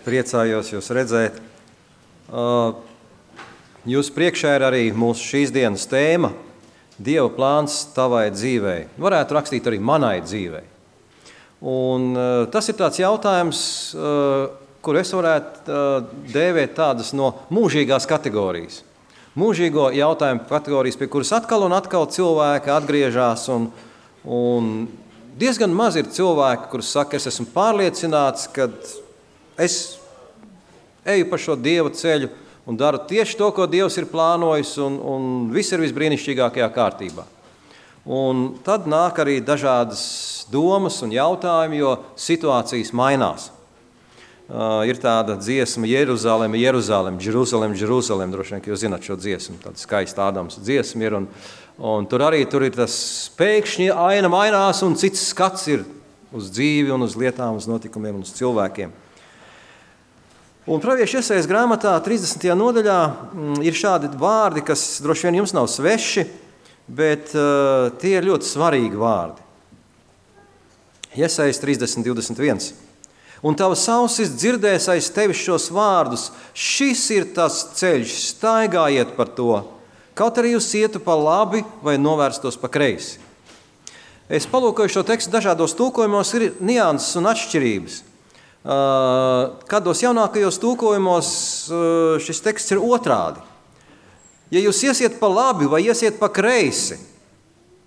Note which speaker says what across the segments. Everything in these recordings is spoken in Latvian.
Speaker 1: Priecājos jūs redzēt. Jūs priekšā ir arī mūsu šīs dienas tēma Dieva plāns tavai dzīvei. Varētu rakstīt arī manai dzīvei. Un tas ir tāds jautājums, kur es varētu dēvēt tādas no mūžīgās kategorijas. Mūžīgo jautājumu kategorijas, pie kuras atkal un atkal cilvēki atgriežas. Un diezgan maz ir cilvēki, kurus saka, es esmu pārliecināts, ka es eju pa šo Dieva ceļu un daru tieši to, ko Dievs ir plānojis, un viss ir visbrīnišķīgākajā kārtībā. Un tad nāk arī dažādas domas un jautājumi, jo situācijas mainās. Ir tāda dziesma Jeruzalem, Jeruzalem, Jerusalem, Jerusalem, droši vien, ka jūs zināt šo dziesmu, tāda skaista Ādams dziesma ir, un tur ir tas pēkšņi aina mainās, un cits skats ir uz dzīvi un uz lietām, uz notikumiem un uz cilvēkiem. Un Pravieša Jesajas grāmatā 30. nodaļā ir šādi vārdi, kas droši vien jums nav sveši, bet tie ir ļoti svarīgi vārdi. Jesajas 30:21. Un tavas ausis dzirdēs aiz tevis šos vārdus, šis ir tas ceļš, staigājiet par to, kaut arī jūs ietu pa labi vai novērstos pa kreisi. Es palūkoju šo tekstu dažādos tulkojumos, ir nianses un atšķirības. Kādos jaunākajos tulkojumos šis teksts ir otrādi. Ja jūs iesiet pa labi vai iesiet pa kreisi,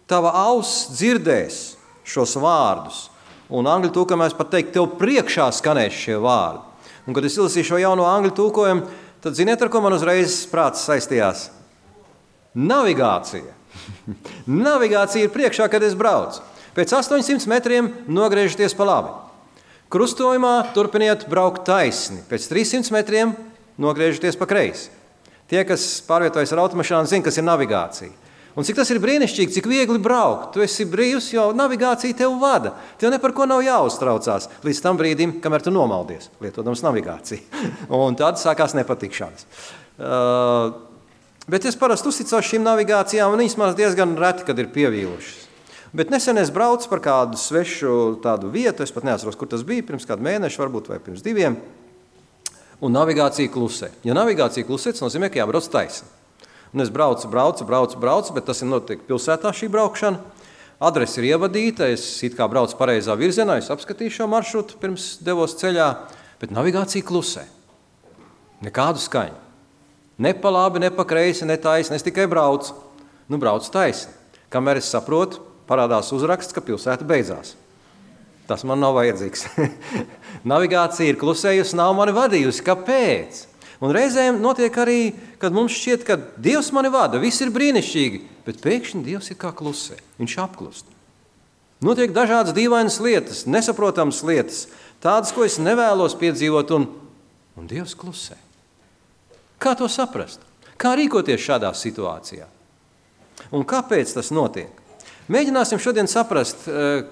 Speaker 1: tava auss dzirdēs šos vārdus. Un angļu tulkojumā es pat teiktu, tev priekšā skanēs šie vārdi. Un, kad es izlasīju šo jauno angļu tulkojumu, tad ziniet, ar ko man uzreiz prāts saistījās? Navigācija. Navigācija ir priekšā, kad es braucu. Pēc 800 metriem nogriežaties pa labi. Krustojumā turpiniet braukt taisni. Pēc 300 metriem nogriežaties pa kreisi. Tie, kas pārvietojas ar automašīnu, zina, kas ir navigācija. Un cik tas ir brīnišķīgi, cik viegli braukt. Tu esi brīvs, jo navigācija tev vada. Tev ne par ko nav jāuztraucās līdz tam brīdim, kamēr tu nomaldies, lietodams navigāciju. Un tad sākās nepatikšanas. Bet es parasti uzticos šīm navigācijām, un viņas man diezgan reti, kad ir pievīlušas. Bet nesen es braucu par kādu svešu tādu vietu, es pat neatceros, kur tas bija, pirms kādu mēnešu varbūt vai pirms 2, un navigācija klusē. Ja navigācija klusē, tas nozīmē, ka jābrauc taisni. Un es braucu, bet tas ir notiek pilsētā šī braukšana. Adrese ir ievadīta, es it kā braucu pareizā virzienā, es apskatīju šo maršrutu pirms devos ceļā, bet navigācija klusē. Nekādu skaņu. Ne pa labi, ne pa kreisi, ne taisni, es tikai braucu. Braucu taisni. Kamēr es saprotu, parādās uzraksts, ka pilsēta beidzās. Tas man nav vajadzīgs. Navigācija ir klusējusi, nav mani vadījusi. Kāpēc? Un reizēm notiek arī, kad mums šķiet, ka Dievs mani vada, viss ir brīnišķīgi, bet pēkšņi Dievs ir kā klusē, viņš apklust. Notiek dažādas dīvainas lietas, nesaprotamas lietas, tādas, ko es nevēlos piedzīvot, un Dievs klusē. Kā to saprast? Kā rīkoties šādā situācijā? Un kāpēc tas notiek? Mēģināsim šodien saprast,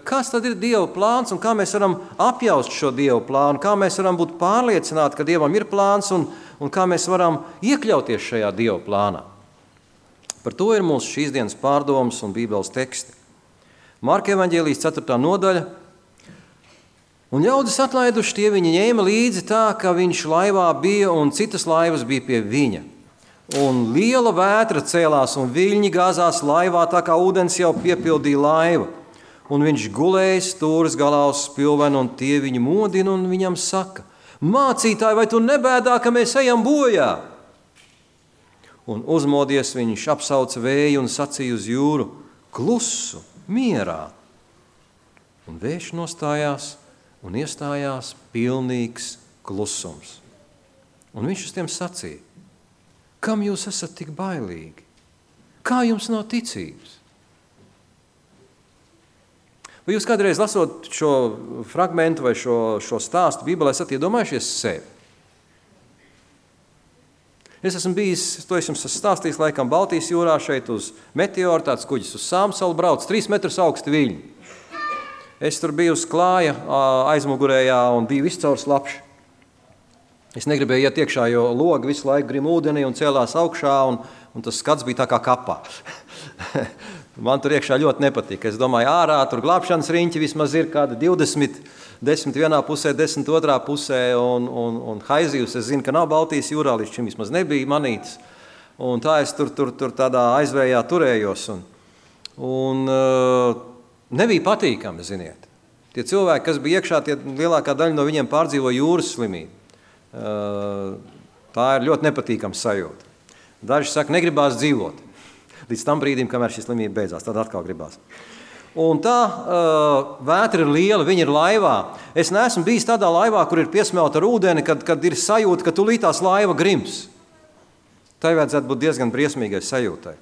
Speaker 1: kas tad ir Dieva plāns un kā mēs varam apjaust šo Dieva plānu, kā mēs varam būt pārliecināti, ka Dievam ir plāns un kā mēs varam iekļauties šajā Dieva plānā. Par to ir mūsu šīs dienas pārdomas un Bībeles teksti. Marka evaņģēlijas 4. nodaļa. Un ļaudis atlaiduši, tie viņi ņēma līdzi tā, ka viņš laivā bija un citas laivas bija pie viņa. Un liela vētra cēlās un viļņi gāzās laivā, tā kā ūdens jau piepildīja laivu. Un viņš gulēja stūres galā uz spilvenu, un tie viņu modina un viņam saka: Mācītāji, vai tu nebēdā, ka mēs ejam bojā? Un uzmodies viņš apsauca vēju un sacīja uz jūru: Klusu, mierā. Un vējš nostājās un iestājās pilnīgs klusums. Un viņš uz tiem sacīja: Kam jūs esat tik bailīgi? Kā jums nav ticības? Vai jūs kādreiz lasot šo fragmentu vai šo stāstu Bībelē esat iedomājušies sevi? Es esmu bijis, to es jums stāstījis laikam Baltijas jūrā šeit uz Meteoru, tāds kuģis uz Sāmsalu brauc, 3 metrus augsti viļņi. Es tur biju uz klāja aizmugurējā un biju viscaur slapši. Es negribēju iet iekšā, jo logi visu laiku grim ūdenī un cēlās augšā, un tas skats bija tā kā kapā. Man tur iekšā ļoti nepatīk. Es domāju, ārā tur glābšanas riņķi vismaz ir kāda 20, 10 vienā pusē, 10 otrā pusē, un haizivs, es zinu, ka nav Baltijas jūrā, līdz šim vismaz nebija manītas. Un tā es tur tādā aizvējā turējos. Un nebija patīkami, ziniet. Tie cilvēki, kas bija iekšā, lielākā daļa no viņiem pārdzīvo jūras slimību. Tā ir ļoti nepatīkama sajūta. Daži saka, negribās dzīvot. Līdz tam brīdim, kamēr šī slimība beidzās, tad atkal gribās. Un tā vētra ir liela, viņa ir laivā. Es neesmu bijis tādā laivā, kur ir piesmelta ar ūdeni, kad ir sajūta, ka tūlītās laiva grims. Tai vajadzētu būt diezgan briesmīgai sajūtai.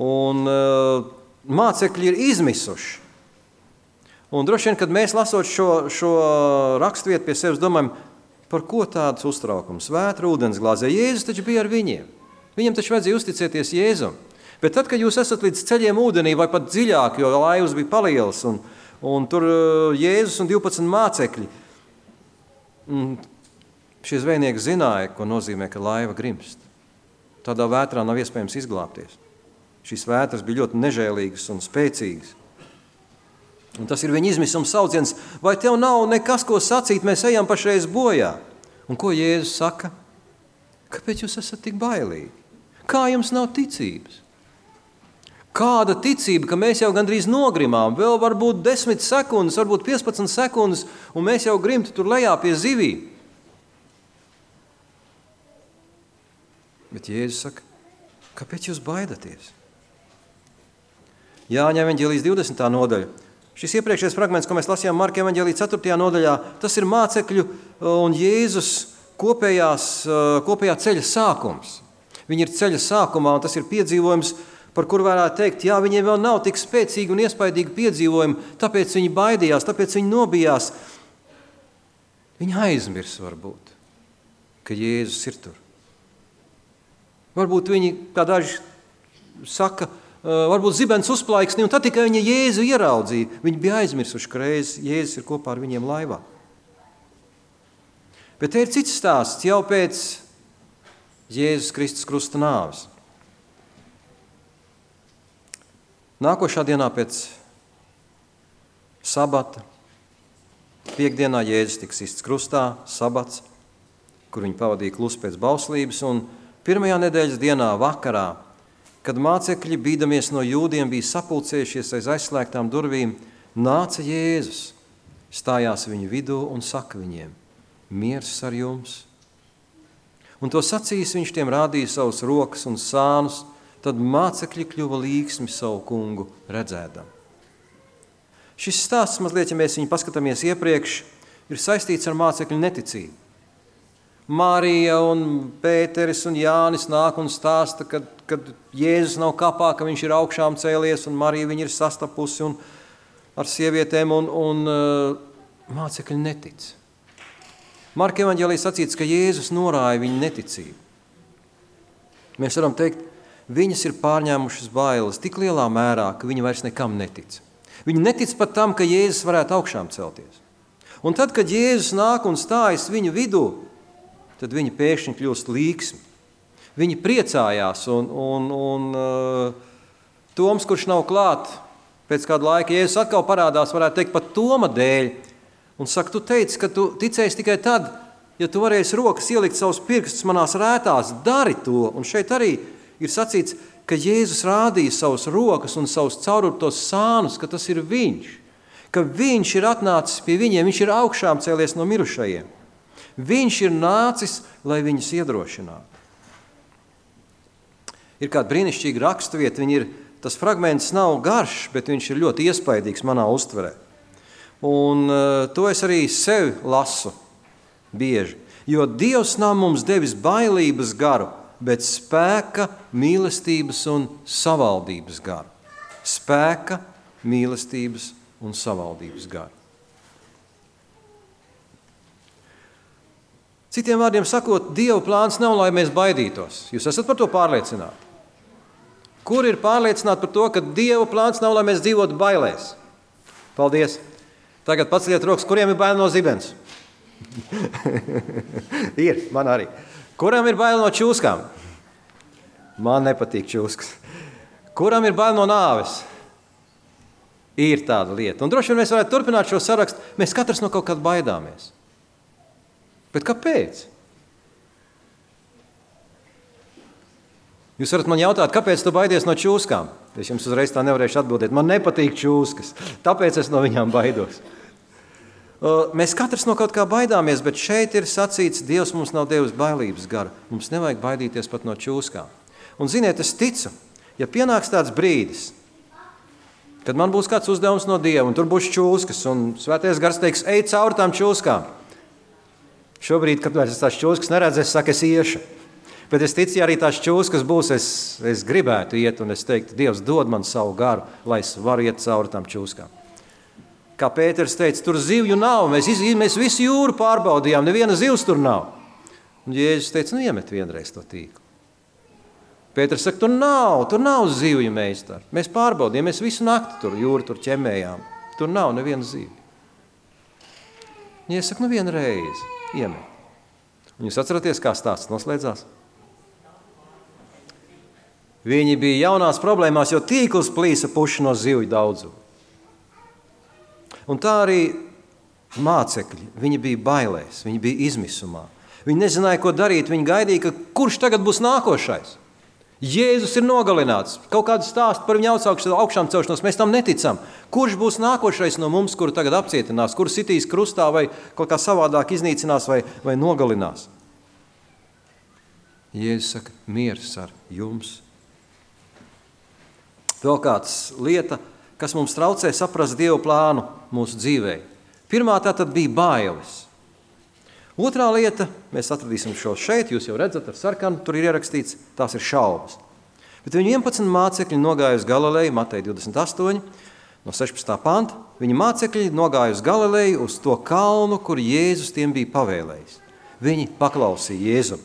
Speaker 1: Un mācekļi ir izmisuši. Un droši vien, kad mēs lasot šo rakstvietu pie sevis, domājam, par ko tāds uztraukums? Vētra ūdens glāzē. Jēzus taču bija ar viņiem. Viņam taču vajadzēja uzticēties Jēzum. Bet tad, kad jūs esat līdz ceļiem ūdenī vai pat dziļāk, jo laivas bija palielas, un tur Jēzus un 12 mācekļi, šie zvejnieki zināja, ko nozīmē, ka laiva grimst. Tādā vētrā nav iespējams izglābties. Šīs vētras bija ļoti nežēlīgas un spēcīgas. Un tas ir viņa izmisuma sauciens, vai tev nav nekas, ko sacīt, mēs ejam pašreiz bojā. Un ko Jēzus saka? Kāpēc jūs esat tik bailīgi? Kā jums nav ticības? Kāda ticība, ka mēs jau gandrīz nogrimām, vēl varbūt 10 sekundes, varbūt 15 sekundes, un mēs jau grimtu tur lejā pie zivīm. Bet Jēzus saka, kāpēc jūs baidaties? Jāņa evaņģēlijas 20. nodaļa. Šis iepriekšējais fragments, ko mēs lasījām Marka evaņģēlijas 4. nodaļā, tas ir mācekļu un Jēzus kopējā ceļa sākums. Viņi ir ceļa sākumā, un tas ir piedzīvojums, par kuru varētu teikt, jā, viņiem vēl nav tik spēcīgi un iespaidīgi piedzīvojumi, tāpēc viņi baidījās, tāpēc viņi nobijās. Viņi aizmirs varbūt, ka Jēzus ir tur. Varbūt viņi, kā daži saka, varbūt zibens uzplaiksni, un tad tikai viņi Jēzu ieraudzīja. Viņi bija aizmirsuši, ka Jēzus ir kopā ar viņiem laivā. Bet te ir cits stāsts jau pēc Jēzus Kristus krusta nāves. Nākošā dienā pēc sabata, piekdienā Jēzus tika sists krustā, sabats, kur viņi pavadīja klusu pēc bauslības, un pirmajā nedēļas dienā vakarā, kad mācekļi, bīdamies no jūdiem, bija sapulcējušies aiz aizslēgtām durvīm, nāca Jēzus, stājās viņu vidū un saka viņiem, miers ar jums. Un to sacījis, viņš tiem rādīja savus rokas un sānus, tad mācekļi kļuva līgsmi savu kungu redzēdam. Šis stāsts, mazliet, ja mēs viņu paskatāmies iepriekš, ir saistīts ar mācekļu neticību. Marija un Pēteris un Jānis nāk un stāsta, kad Jēzus nav kapā, ka viņš ir augšām cēlies, un Marija viņu ir sastapusi un ar sievietēm, un mācekļi netic. Marka evaņģēlijā sacīts, ka Jēzus norāja viņu neticību. Mēs varam teikt, viņas ir pārņēmušas bailes tik lielā mērā, ka viņi vairs nekam netic. Viņi netic pat tam, ka Jēzus varētu augšām celties. Un tad, kad Jēzus nāk un stājas viņu vidū, tad viņi pēkšņi kļūst līgsmi. Viņi priecājās, un Toms, kurš nav klāt, pēc kāda laika Jēzus atkal parādās, varētu teikt, pat Toma dēļ, un saka, tu teici, ka tu ticēsi tikai tad, ja tu varēsi rokas ielikt savus pirkstus manās rētās, dari to. Un šeit arī ir sacīts, ka Jēzus rādīja savus rokas un savus caururtos sānus, ka tas ir viņš, ka viņš ir atnācis pie viņiem, viņš ir augšām cēlies no mirušajiem. Viņš ir nācis, lai viņus iedrošinātu. Ir kāda brīnišķīga rakstvieta, tas fragments nav garš, bet viņš ir ļoti iespaidīgs manā uztverē. Un to es arī sevi lasu bieži, jo Dievs nav mums devis bailības garu, bet spēka, mīlestības un savaldības garu. Spēka, mīlestības un savaldības garu. Citiem vārdiem sakot, Dieva plāns nav, lai mēs baidītos. Jūs esat par to pārliecināti? Kur ir pārliecināti par to, ka Dieva plāns nav, lai mēs dzīvotu bailēs? Paldies! Tagad paceliet rokas, kuriem ir bail no zibens? Ir, man arī. Kuram ir bail no čūskām? Man nepatīk čūskas. Kuram ir bail no nāves? Ir tāda lieta. Un droši vien mēs varētu turpināt šo sarakstu. Mēs katrs no kaut kāda baidāmies. Bet kāpēc? Jūs varat man jautāt, kāpēc tu baidies no čūskām? Es jums uzreiz tā nevarēšu atbildēt. Man nepatīk čūskas, tāpēc es no viņām baidos. Mēs katrs no kaut kā baidāmies, bet šeit ir sacīts, Dievs mums nav devis bailības garu. Mums nevajag baidīties pat no čūskām. Un ziniet, es ticu, ja pienāks tāds brīdis, kad man būs kāds uzdevums no Dieva, un tur būs čūskas, un Svētais Gars teiks, ej cauri tām čūskām. Šobrīd, kad es tās čūskas neredzu, es saku, es iešu. Bet es ticu, ja arī tās čūskas būs, es gribētu iet, un es teiktu, Dievs dod man savu garu, lai es varu iet cauri tām čūskām. Kā Pēters teica, tur zivju nav, mēs visu jūru pārbaudījām, neviena zivs tur nav. Un Jēzus teica, iemet vienreiz to tīklu. Pēters saka, tur nav zivju meistari. Mēs pārbaudījām, mēs visu nakti tur jūru tur ķemējām. Tur nav neviena zivju. Jēzus saka, vienreiz, iemet. Un jūs atceraties, kā stāsts noslēdzās? Viņi bija jaunās problēmās, jo tīkls plīsa puši no zivju daudzumu. Un tā arī mācekļi, viņi bija bailēs, viņi bija izmisumā. Viņi nezināja, ko darīt, viņi gaidīja, ka kurš tagad būs nākošais. Jēzus ir nogalināts, kaut kādu stāstu par viņu augšām celšanos, mēs tam neticam. Kurš būs nākošais no mums, kuru tagad apcietinās, kuru sitīs krustā vai kaut kā savādāk iznīcinās vai nogalinās? Jēzus saka, miers ar jums. Vēl kāds lieta, kas mums traucē saprast Dievu plānu mūsu dzīvē. Pirmā tā tad bija bailes. Otrā lieta, mēs atradīsim šo šeit, jūs jau redzat ar sarkanu, tur ir ierakstīts, tās ir šaubas. Bet viņi 11 mācekļi nogāja uz Galileju, Mateja 28, no 16. panta, viņi mācekļi nogāja uz Galileju, uz to kalnu, kur Jēzus tiem bija pavēlējis. Viņi paklausīja Jēzum.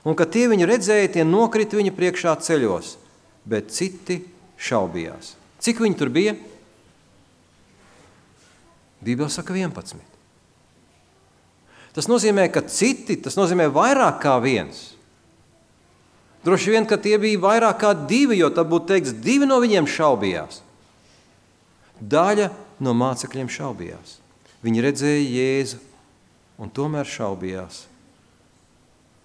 Speaker 1: Un, kad tie viņu redzēja, tie nokrita viņa priekšā ceļos, bet citi šaubījās. Cik viņi tur bija? Bībele saka 11. Tas nozīmē, ka citi, tas nozīmē vairāk kā viens. Droši vien, ka tie bija vairāk kā 2, jo tad būtu teikts, 2 no viņiem šaubījās. Daļa no mācekļiem šaubījās. Viņi redzēja Jēzu un tomēr šaubījās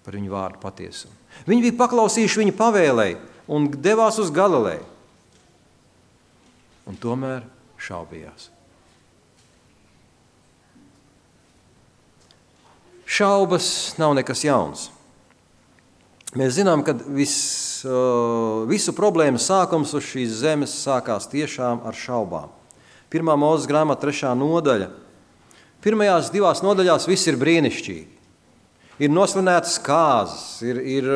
Speaker 1: par viņu vārdu patiesumu. Viņi bija paklausījuši viņa pavēlei un devās uz Galileju. Un tomēr šaubījās. Šaubas nav nekas jauns. Mēs zinām, ka visu problēmu sākums uz šīs zemes sākās tiešām ar šaubām. 1. Mūzes grāmata 3. nodaļa. Pirmajās 2 nodaļās viss ir brīnišķīgi. Ir nosvinētas kāzas, ir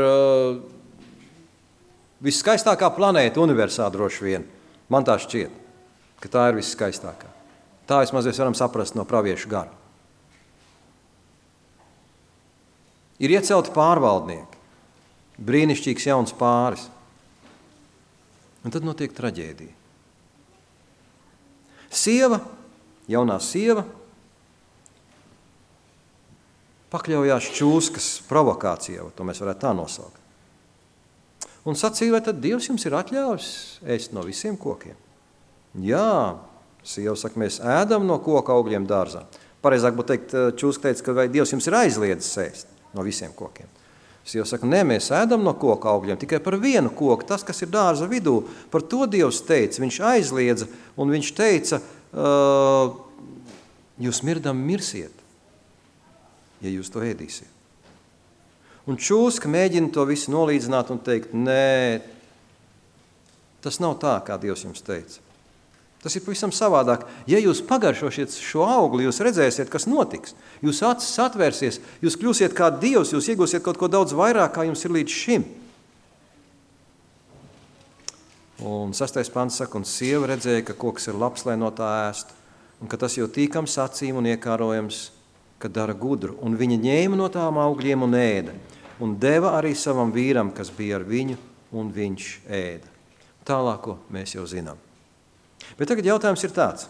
Speaker 1: viskaistākā planēta universā droši vien. Man tā šķiet, ka tā ir viskaistākā. Tā vismaz mēs varam saprast no praviešu gara. Ir iecelti pārvaldnieki, brīnišķīgs jauns pāris. Un tad notiek traģēdija. Jaunā sieva, pakļaujās čūskas provokācijā, to mēs varētu tā nosaukt. Un sacīja, vai tad Dievs jums ir atļāvis ēst no visiem kokiem? Jā, sieva saka, mēs ēdam no koka augļiem dārzā. Pareizāk būtu teikt, čūska teica, ka vai Dievs jums ir aizliedzis ēst no visiem kokiem. Sieva saka, nē, mēs ēdam no koka augļiem, tikai par vienu koku, tas, kas ir dārza vidū. Par to Dievs teica, viņš aizliedza, un viņš teica, jūs mirdam mirsiet, ja jūs to ēdīsiet. Un čūska mēģina to visu nolīdzināt un teikt, nē, tas nav tā, kā Dievs jums teica. Tas ir pavisam savādāk. Ja jūs pagaršosiet šo augli, jūs redzēsiet, kas notiks. Jūs acis atvērsies, jūs kļūsiet kā Dievs, jūs iegūsiet kaut ko daudz vairāk, kā jums ir līdz šim. Un 6. pants saka, un sieva redzēja, ka koks ir labs, lai no tā ēstu, un ka tas jau tīkams acīm un iekārojams, ka dara gudru. Un viņa ņēma no tām augļiem un ēda. Un deva arī savam vīram, kas bija ar viņu, un viņš ēda. Tālāko mēs jau zinām. Bet tagad jautājums ir tāds.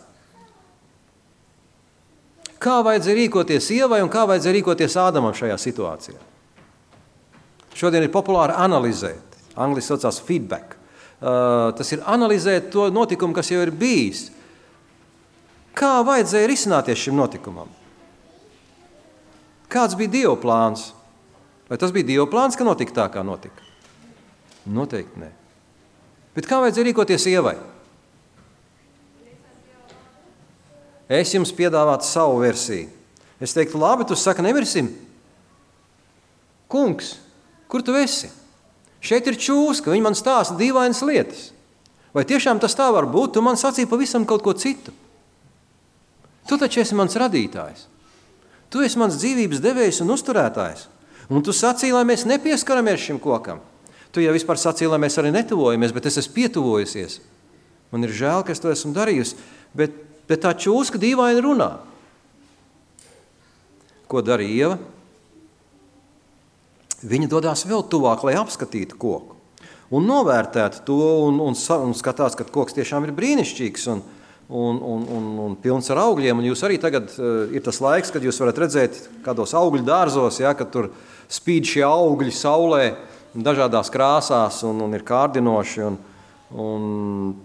Speaker 1: Kā vajadzēja rīkoties Ievai un kā vajadzēja rīkoties Ādamam šajā situācijā? Šodien ir populāri analizēt. Angliski saucās feedback. tas ir analizēt to notikumu, kas jau ir bijis. Kā vajadzēja risināties šim notikumam? Kāds bija Dieva plāns? Vai tas bija Dieva plāns, ka notika tā, kā notika? Noteikti nē. Bet kā vajadzēja rīkoties Ievai? Es jums piedāvātu savu versiju. Es teiktu, labi, tu saka, nemirsim. Kungs, kur tu esi? Šeit ir čūska, viņi man stāsta dīvainas lietas. Vai tiešām tas tā var būt? Tu man sacīji pavisam kaut ko citu. Tu taču esi mans radītājs. Tu esi mans dzīvības devējs un uzturētājs. Un tu sacīji, lai mēs nepieskaramies šim kokam. Tu jau vispār sacīji, lai mēs arī netuvojamies, bet es esmu pietuvojusies. Man ir žēl, ka es to esmu darījusi, bet tā čūska dīvaini runā. Ko dara Ieva? Viņa dodās vēl tuvāk, lai apskatītu koku. Un novērtētu to un skatās, ka koks tiešām ir brīnišķīgs un pilns ar augļiem. Un jūs arī tagad ir tas laiks, kad jūs varat redzēt kādos augļu dārzos, ja, kad tur spīd šie augļi saulē dažādās krāsās un ir kārdinoši un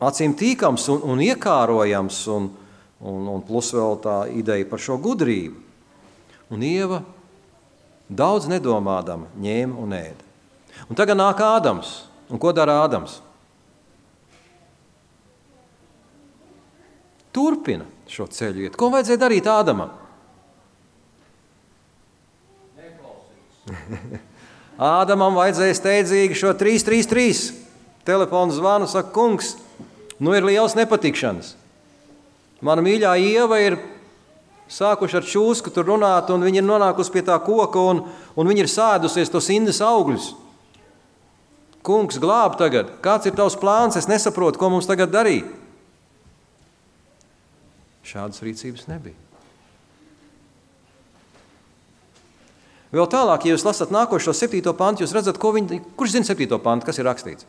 Speaker 1: acīm tīkams un iekārojams un plus vēl tā ideja par šo gudrību. Un Ieva daudz nedomādama ņēma un ēda. Un tagad nāk Ādams. Un ko dara Ādams? Turpina šo ceļu iet. Ko vajadzēja darīt Ādamam? Ādamam vajadzēja steidzīgi šo 333 telefonu zvanu, saka, kungs, nu ir liels nepatikšanas. Mana mīļā Ieva ir sākuši ar čūsku tur runāt, un viņi ir nonākusi pie tā koka, un viņi ir sēdusies tos indes augļus. Kungs, glāb tagad. Kāds ir tavs plāns? Es nesaprotu, ko mums tagad darīt. Šādas rīcības nebija. Vēl tālāk, ja jūs lasat nākošo 7. pantu, jūs redzat, kurš zina 7. pantu, kas ir rakstīts?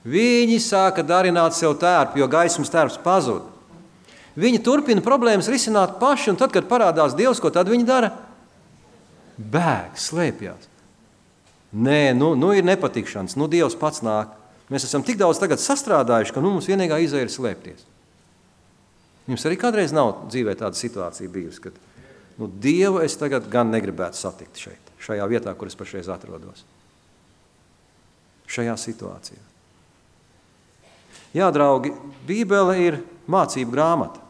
Speaker 1: Viņi sāka darināt sev tērpu, jo gaismas tērps pazuda. Viņi turpina problēmas risināt paši, un tad, kad parādās Dievs, ko tad viņi dara? Bēg, slēpjās. Nē, nu ir nepatikšanas, Dievs pats nāk. Mēs esam tik daudz tagad sastrādājuši, ka mums vienīgā izēja ir slēpties. Jums arī kādreiz nav dzīvē tāda situācija bijusi, kad Dievu es tagad gan negribētu satikt šeit, šajā vietā, kur es pašreiz atrodos. Šajā situācijā. Jā, draugi, Bībele ir mācību grāmata.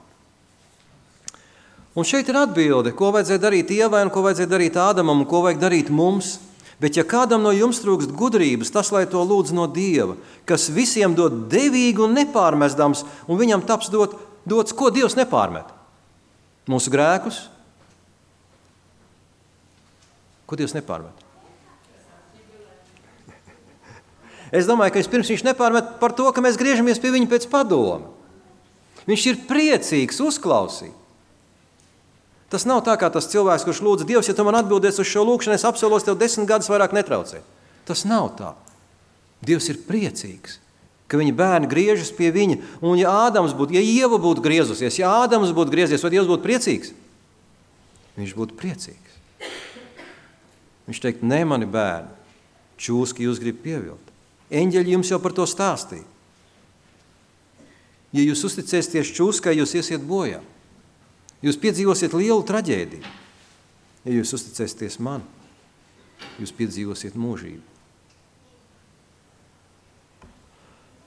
Speaker 1: Un šeit ir atbilde, ko vajadzēja darīt Ievai un ko vajadzēja darīt Ādamam un ko vajag darīt mums. Bet ja kādam no jums trūkst gudrības, tas lai to lūdz no Dieva, kas visiem dod devīgi un nepārmestams, un viņam taps dots, ko Dievs nepārmet? Mūsu grēkus? Ko Dievs nepārmet? Es domāju, ka vispirms viņš nepārmet par to, ka mēs griežamies pie viņa pēc padoma. Viņš ir priecīgs uzklausīt. Tas nav tā kā tas cilvēks, kurš lūdz Dievs, ja tu man atbildies uz šo lūkšanu, es apsolos tev 10 gadus vairāk netraucēt. Tas nav tā. Dievs ir priecīgs, ka viņa bērni griežas pie viņa. Un ja Ieva būtu griezusies, ja Ādams būtu griezies, vai Dievs būtu priecīgs? Viņš būtu priecīgs. Viņš teikt, ne mani bērni, čūski jūs grib pievilt. Eņģeļi jums jau par to stāstīja. Ja jūs uzticēsieties čūskai, jūs iesiet bojā. Jūs piedzīvosiet lielu traģēdiju. Ja jūs uzticēsieties man, jūs piedzīvosiet mūžību.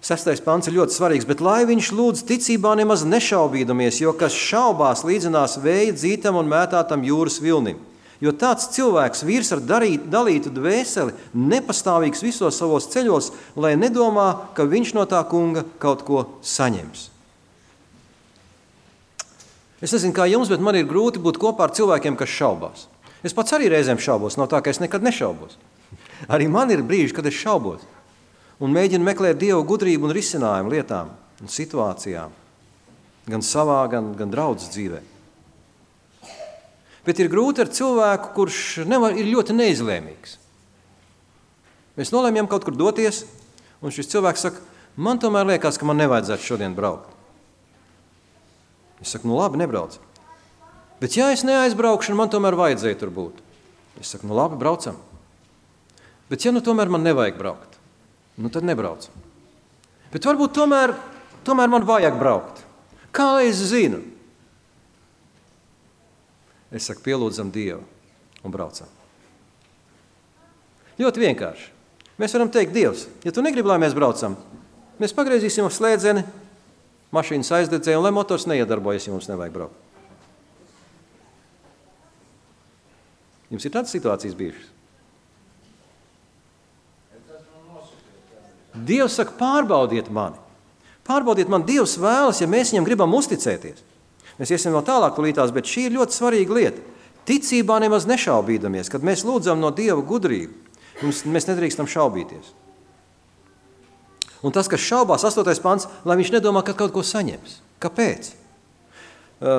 Speaker 1: 6. pants ir ļoti svarīgs, bet lai viņš lūdz ticībā nemaz nešaubīdamies, jo kas šaubās līdzinās vēja dzītam un mētātam jūras vilnim. Jo tāds cilvēks vīrs ar dalītu dvēseli, nepastāvīgs visos savos ceļos, lai nedomā, ka viņš no tā kunga kaut ko saņems. Es nezinu, kā jums, bet man ir grūti būt kopā ar cilvēkiem, kas šaubās. Es pats arī reizēm šaubos, nav tā, ka es nekad nešaubos. Arī man ir brīži, kad es šaubos un mēģinu meklēt Dievu gudrību un risinājumu lietām un situācijām, gan savā, gan draudzes dzīvē. Bet ir grūti ar cilvēku, kurš ir ļoti neizlēmīgs. Mēs nolēmjam kaut kur doties, un šis cilvēks saka, man tomēr liekas, ka man nevajadzētu šodien braukt. Es saku, labi, nebrauc. Bet ja es neaizbraukšu, man tomēr vajadzēja tur būt. Es saku, labi, braucam. Bet ja tomēr man nevajag braukt, tad nebraucam. Bet varbūt tomēr man vajag braukt. Kā es zinu? Es saku, pielūdzam Dievu un braucam. Ļoti vienkārši. Mēs varam teikt, Dievs, ja tu negribi, lai mēs braucam, mēs pagriezīsim uz slēdzeni, mašīnas aizdedzēja, un lai motors neiedarbojas, ja mums nevajag braukt. Jums ir tādas situācijas bijušas? Dievs saka, pārbaudiet mani. Pārbaudiet mani, Dievs vēlas, ja mēs viņam gribam uzticēties. Mēs iesim vēl tālāk lītās, bet šī ir ļoti svarīga lieta. Ticībā nemaz nešaubīdamies, kad mēs lūdzam no Dieva gudrību, mēs nedrīkstam šaubīties. Un tas, kas šaubās, 8. pants, lai viņš nedomā, ka kaut ko saņems. Kāpēc?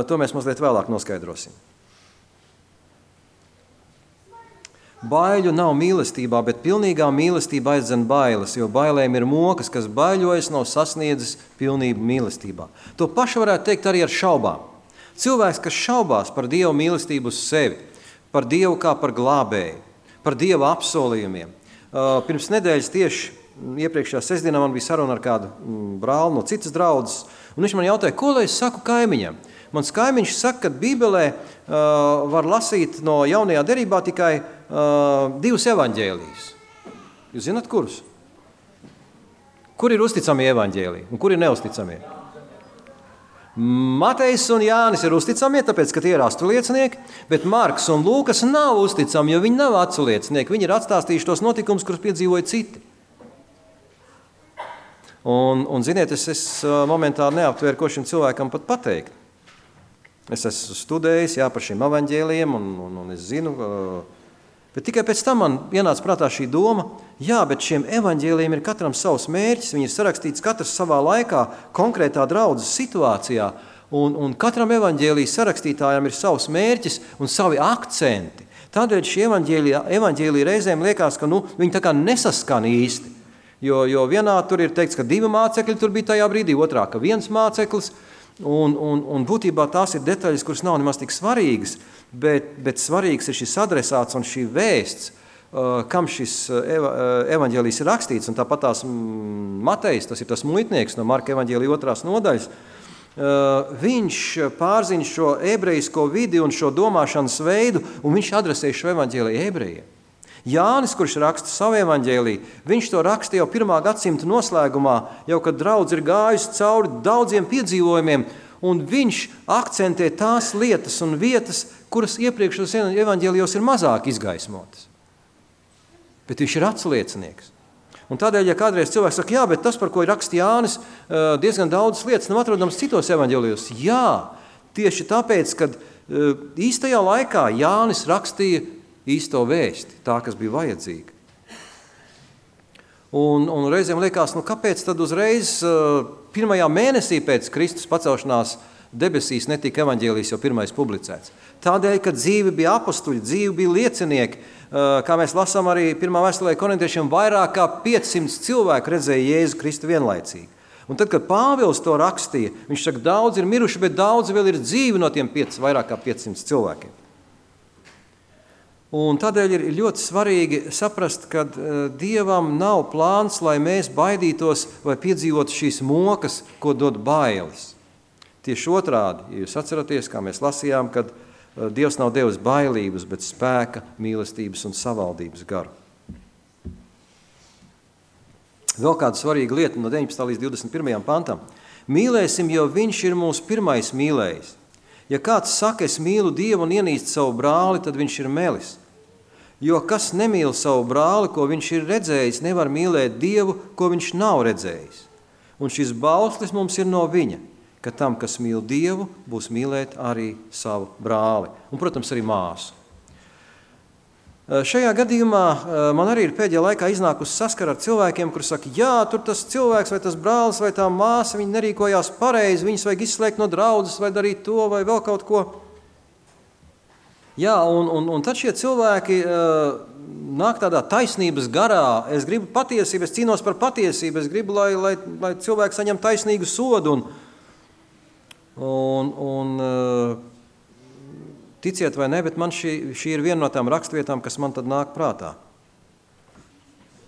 Speaker 1: To mēs mazliet vēlāk noskaidrosim. Baiļu nav mīlestībā, bet pilnīgā mīlestība aizdzen bailes, jo bailēm ir mokas, kas baiļojas, nav sasniedzis pilnību mīlestībā. To pašu varētu teikt arī ar šaubām. Cilvēks, kas šaubās par Dieva mīlestību uz sevi, par Dievu kā par glābēju, par Dieva apsolījumiem. Pirms nedēļas tieši iepriekšējā sestdienā man bija saruna ar kādu brāli no citas draudzes, un viņš man jautāja, ko lai es saku kaimiņam? Mans kaimiņš saka, ka Bībelē var lasīt no jaunajā derībā tikai 2 evaņģēlijas. Jūs zināt, kurus? Kur ir uzticamie evaņģēliji un kur ir neusticamie? Matejs un Jānis ir uzticamie, tāpēc, ka tie ir aculiecinieki, bet Marks un Lūkas nav uzticami, jo viņi nav aculiecinieki. Viņi ir atstāstījuši tos notikumus, kurus piedzīvoja citi. Un ziniet, es momentā neaptvēru, ko šim cilvēkam pat pateikt. Es esmu studējis par šiem evaņģēlijiem, un es zinu, bet tikai pēc tam man ienāca prātā šī doma, bet šiem evaņģēlijiem ir katram savs mērķis, viņi ir sarakstīts katrs savā laikā, konkrētā draudzes situācijā, un katram evaņģēlijas sarakstītājam ir savs mērķis un savi akcenti. Tādēļ šie evaņģēlija reizēm liekas, ka viņi tā kā nesaskan īsti, jo vienā tur ir teikts, ka 2 mācekļi tur bija tajā brīdī, otrā, ka 1 māceklis, un būtībā tās ir detaļas, kuras nav nemaz tik svarīgas, bet svarīgs ir šis adresāts un šī vēsts, kam šis evaņģēlijs ir rakstīts, un tāpat tās Matejs, tas ir tas muitnieks no Marka evaņģēlija 2. nodaļas, viņš pārzina šo ebrejisko vidi un šo domāšanas veidu, un viņš adresē šo evaņģēliju ebrejiem. Jānis, kurš raksta savu evaņģēliju, viņš to raksta jau 1. gadsimta noslēgumā, jau kad draudze ir gājusi cauri daudziem piedzīvojumiem, un viņš akcentē tās lietas un vietas, kuras iepriekšos evaņģēlijos ir mazāk izgaismotas. Bet viņš ir atsliecinieks. Un tādēļ, ja kādreiz cilvēks saka, bet tas, par ko ir raksta Jānis, diezgan daudzas lietas nav atrodams citos evaņģēlijos. Jā, tieši tāpēc, kad īstajā laikā Jānis rakstīja īsto vēsti, tā, kas bija vajadzīga. Un reizēm liekas, kāpēc tad uzreiz 1. mēnesī pēc Kristus pacelšanās debesīs netika evaņģēlijs jau pirmais publicēts? Tādēļ, ka dzīve bija apostuļi, dzīve bija liecinieki, kā mēs lasām arī 1. vēstulē korintiešiem, vairāk kā 500 cilvēku redzēja Jēzu Kristu vienlaicīgi. Un tad, kad Pāvils to rakstīja, viņš saka, daudz ir miruši, bet daudz vēl ir dzīvi no tiem vairāk kā 500 cilvēkiem. Un tādēļ ir ļoti svarīgi saprast, ka Dievam nav plāns, lai mēs baidītos vai piedzīvotu šīs mokas, ko dod bailes. Tieši otrādi, ja jūs atceraties, kā mēs lasījām, kad Dievs nav devis bailības, bet spēka, mīlestības un savaldības garu. Vēl kāda svarīga lieta no 19. līdz 21. pantam. Mīlēsim, jo viņš ir mūsu pirmais mīlējis. Ja kāds saka, es mīlu Dievu un ienīst savu brāli, tad viņš ir melis. Jo kas nemīl savu brāli, ko viņš ir redzējis, nevar mīlēt Dievu, ko viņš nav redzējis. Un šis bauslis mums ir no viņa, ka tam, kas mīl Dievu, būs mīlēt arī savu brāli. Un, protams, arī māsu. Šajā gadījumā man arī ir pēdējā laikā iznākusi saskara ar cilvēkiem, kuri saka, tur tas cilvēks vai tas brālis vai tā māsa, viņi nerīkojās pareizi, viņus vajag izslēgt no draudzes vai darīt to vai vēl kaut ko. Un tad šie cilvēki nāk tādā taisnības garā. Es gribu patiesību, es cīnos par patiesību, es gribu, lai cilvēki saņem taisnīgu sodu. Ticiet vai ne, bet man šī ir viena no tām rakstvietām, kas man tad nāk prātā.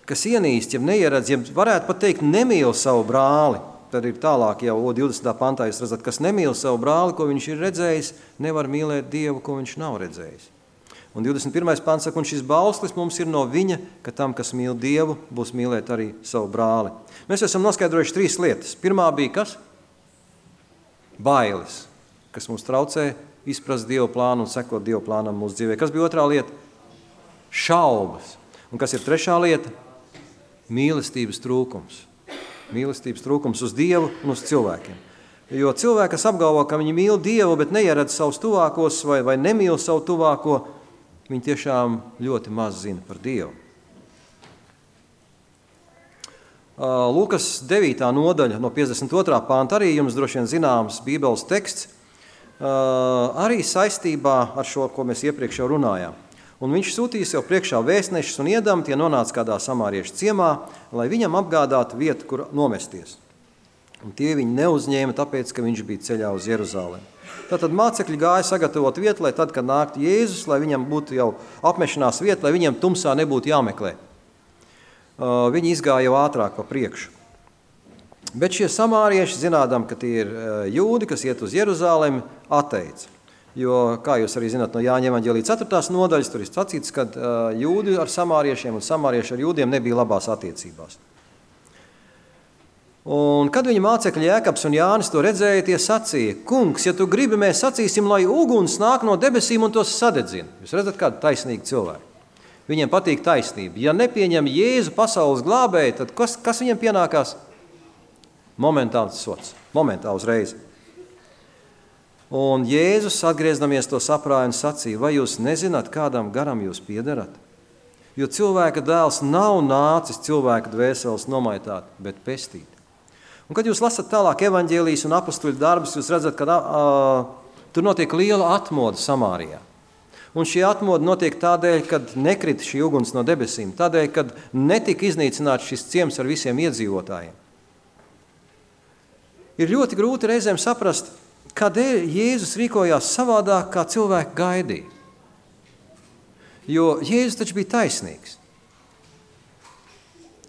Speaker 1: Kas ienīst, ja neieredz, ja varētu pat teikt, nemīl savu brāli, tad ir tālāk jau 20. pantā, jūs redzat, kas nemīl savu brāli, ko viņš ir redzējis, nevar mīlēt Dievu, ko viņš nav redzējis. Un 21. pants saka, un šis bauslis mums ir no viņa, ka tam, kas mīl Dievu, būs mīlēt arī savu brāli. Mēs esam noskaidrojuši 3 lietas. Pirmā bija kas? Bailes, kas mums traucē izprast Dieva plānu un sekot Dieva plānam mūsu dzīvē. Kas bija otrā lieta? Šaubas. Un kas ir trešā lieta? Mīlestības trūkums. Mīlestības trūkums uz Dievu un uz cilvēkiem. Jo cilvēki, kas apgalvo, ka viņi mīl Dievu, bet neieredz savus tuvākos vai nemīl savu tuvāko, viņi tiešām ļoti maz zina par Dievu. Lūkas 9. nodaļa no 52. panta, arī jums droši vien zināms Bībeles teksts, arī saistībā ar šo, ko mēs iepriekš jau runājām. Un viņš sūtīja sev priekšā vēstnešus un iedam, tie nonāca kādā samāriešu ciemā, lai viņam apgādātu vietu, kur nomesties. Un tie viņi neuzņēma, tāpēc, ka viņš bija ceļā uz Jeruzalemi. Tātad mācekļi gāja sagatavot vietu, lai tad, kad nāktu Jēzus, lai viņam būtu jau apmešanās vieta, lai viņiem tumsā nebūtu jāmeklē. Viņi izgāja jau ātrāk pa priekšu. Bet šie samārieši, zinādam, ka tie ir jūdi, kas iet uz Jeruzalemi, atteica. Jo, kā jūs arī zināt no Jāņa evaņģēlija 4. nodaļas, tur ir sacīts, ka jūdi ar samāriešiem un samārieši ar jūdiem nebija labās attiecībās. Un kad viņa mācekļi Jēkabs un Jānis to redzēja, tie sacīja, kungs, ja tu gribi, mēs sacīsim, lai uguns nāk no debesīm un tos sadedzina. Jūs redzat, kādu taisnīgu cilvēku. Viņiem patīk taisnība. Ja nepieņem Jēzu pasaules glābēju, tad kas viņiem pienākās? Momentāls sots. Momentā uzreiz. Un Jēzus, atgriezdamies to saprāja un sacīja, vai jūs nezināt, kādam garam jūs piederat? Jo cilvēka dēls nav nācis cilvēka dvēseles nomaitāt, bet pestīt. Un, kad jūs lasat tālāk evaņģēlijas un apostuļu darbus, jūs redzat, ka tur notiek liela atmoda Samārijā. Un šī atmoda notiek tādēļ, kad nekrita šī uguns no debesīm, tādēļ, kad netika iznīcināts šis ciems ar visiem iedzīvotājiem. Ir ļoti grūti reizēm saprast, kādēļ Jēzus rīkojās savādāk, kā cilvēki gaidīja. Jo Jēzus taču bija taisnīgs.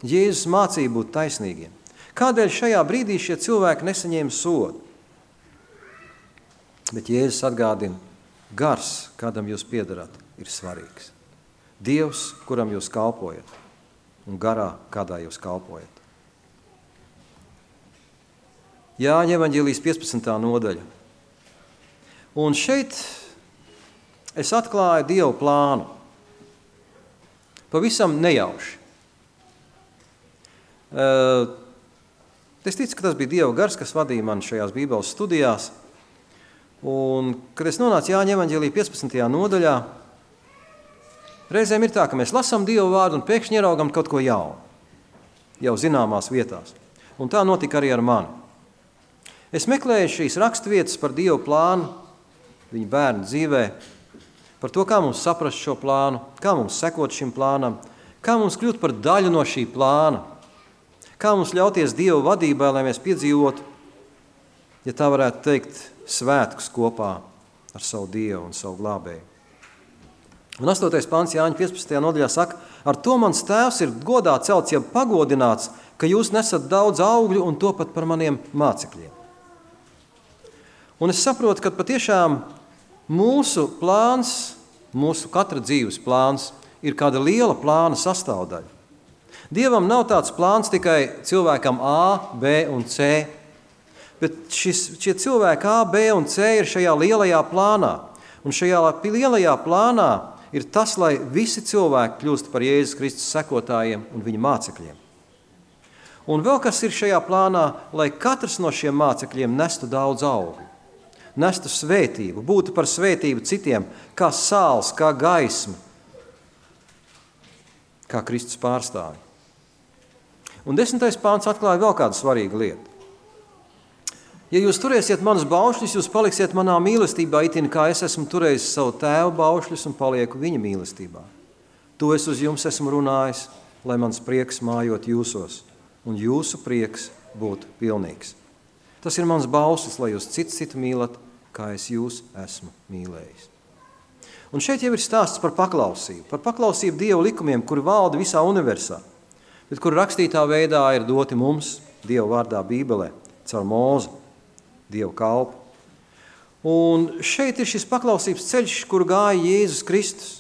Speaker 1: Jēzus mācīja būt taisnīgiem. Kādēļ šajā brīdī šie cilvēki nesaņēma sodu? Bet Jēzus atgādina, gars, kādam jūs piederat, ir svarīgs. Dievs, kuram jūs kalpojat, un garā, kādā jūs kalpojat. Jāņa evaņģēlijas 15. nodaļa. Un šeit es atklāju Dievu plānu. Pavisam nejauši. Es ticu, ka tas bija Dieva gars, kas vadīja mani šajās Bībeles studijās. Un, kad es nonācu Jāņa evaņģēlija 15. nodaļā, reizēm ir tā, ka mēs lasām Dieva vārdu un pēkšņi ieraugam kaut ko jaunu, jau zināmās vietās. Un tā notika arī ar mani. Es meklēju šīs raksturvietas par Dieva plānu, viņa bērnu dzīvē, par to, kā mums saprast šo plānu, kā mums sekot šim plānam, kā mums kļūt par daļu no šī plāna, kā mums ļauties Dieva vadībā, lai mēs piedzīvotu, ja tā varētu teikt, svētkus kopā ar savu Dievu un savu glābēju. Un 8. pants Jāņa 15. nodaļā saka, ar to mans tēvs ir godā celts, ja pagodināts, ka jūs nesat daudz augļu un to pat par maniem mācekļiem. Un es saprotu, ka patiešām mūsu plāns, mūsu katra dzīves plāns ir kāda liela plāna sastāvdaļa. Dievam nav tāds plāns tikai cilvēkam A, B un C, bet šie cilvēki A, B un C ir šajā lielajā plānā. Un šajā lielajā plānā ir tas, lai visi cilvēki kļūst par Jēzus Kristus sekotājiem un viņa mācekļiem. Un vēl kas ir šajā plānā, lai katrs no šiem mācekļiem nestu daudz augļu, nestu svētību, būtu par svētību citiem, kā sāls, kā gaisma, kā Kristus pārstāvi. Un 10. pāns atklāja vēl kādu svarīgu lietu. Ja jūs turēsiet manus baušļus, jūs paliksiet manā mīlestībā, itin kā es esmu turējis savu tēvu baušļus un palieku viņa mīlestībā. To es uz jums esmu runājis, lai mans prieks mājot jūsos, un jūsu prieks būtu pilnīgs. Tas ir mans baušļus, lai jūs citu mīlat, kā es jūs esmu mīlējis. Un šeit jau ir stāsts par paklausību Dieva likumiem, kuri valda visā universā, bet kuri rakstītā veidā ir doti mums, Dieva vārdā Bībelē, caur Mūzu, Dieva kalpu. Un šeit ir šis paklausības ceļš, kuru gāja Jēzus Kristus.